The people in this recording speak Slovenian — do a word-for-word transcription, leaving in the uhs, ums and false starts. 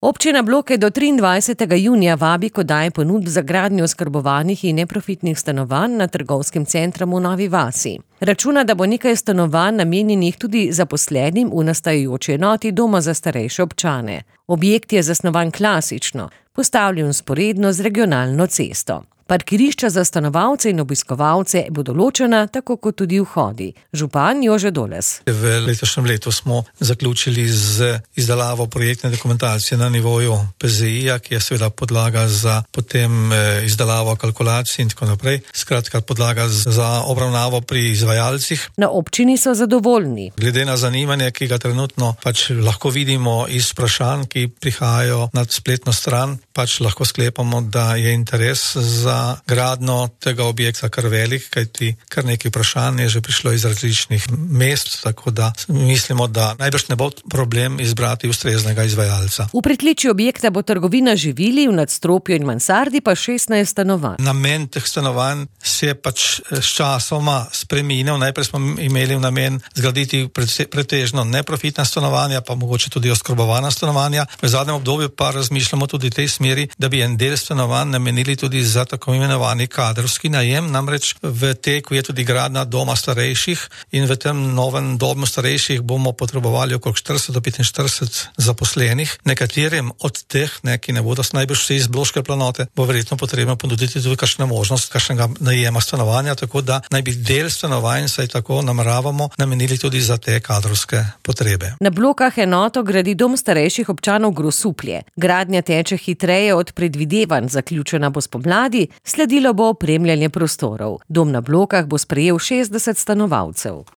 Občina Bloke do triindvajsetega junija vabi k oddaji ponudb za gradnjo oskrbovanih in neprofitnih stanovanj na trgovskem centru v Novi vasi. Računa, da bo nekaj stanovanj namenjenih tudi zaposlenim v nastajajoči enoti doma za starejše občane. Objekt je zasnovan klasično, postavljen vzporedno z regionalno cesto. Parkirišča za stanovalce in obiskovalce bodo ločena, tako kot tudi vhodi. Župan Jože Doles. V letošnjem letu smo zaključili z izdelavo projektne dokumentacije na nivoju P Z I-ja, ki je seveda podlaga za potem izdelavo kalkulacij in tako naprej. Skratka, podlaga za obravnavo pri izvajalcih. Na občini so zadovoljni. Glede na zanimanje, ki ga trenutno pač lahko vidimo iz vprašanj, ki prihajajo na spletno stran, pač lahko sklepamo, da je interes za gradno tega objekta kar velik, kajti kar nekaj vprašanj je že prišlo iz različnih mest, tako da mislimo, da najbrž ne bo problem izbrati ustreznega izvajalca. V pritličju objekta bo trgovina živili, v nadstropju in mansardi pa šestnajst stanovanj. Namen teh stanovanj se je pač s časoma spremenil. Najprej smo imeli namen zgraditi pretežno neprofitna stanovanja, pa mogoče tudi oskrbovana stanovanja. V zadnjem obdobju pa razmišljamo tudi v tej smeri, da bi en del stanovanj namenili tudi za tako imenovani kadrovski najem, namreč v teku je tudi gradnja doma starejših in v tem novem domu starejših bomo potrebovali okrog štirideset do petinštirideset zaposlenih. Nekaterim od teh, ne, ki ne bodo najbrž vsi iz Bloške planote, bo verjetno potrebno ponuditi tudi kakšno možnost kakšnega najema stanovanja, tako da naj bi del stanovanj, saj tako nameravamo, namenili tudi za te kadrovske potrebe. Na Blokah enoto gradi dom starejših občanov Grosuplje. Gradnja teče hitreje od predvidevanj, zaključena bo spomladi. Sledilo bo opremljanje prostorov. Dom na Blokah bo sprejel šestdeset stanovalcev.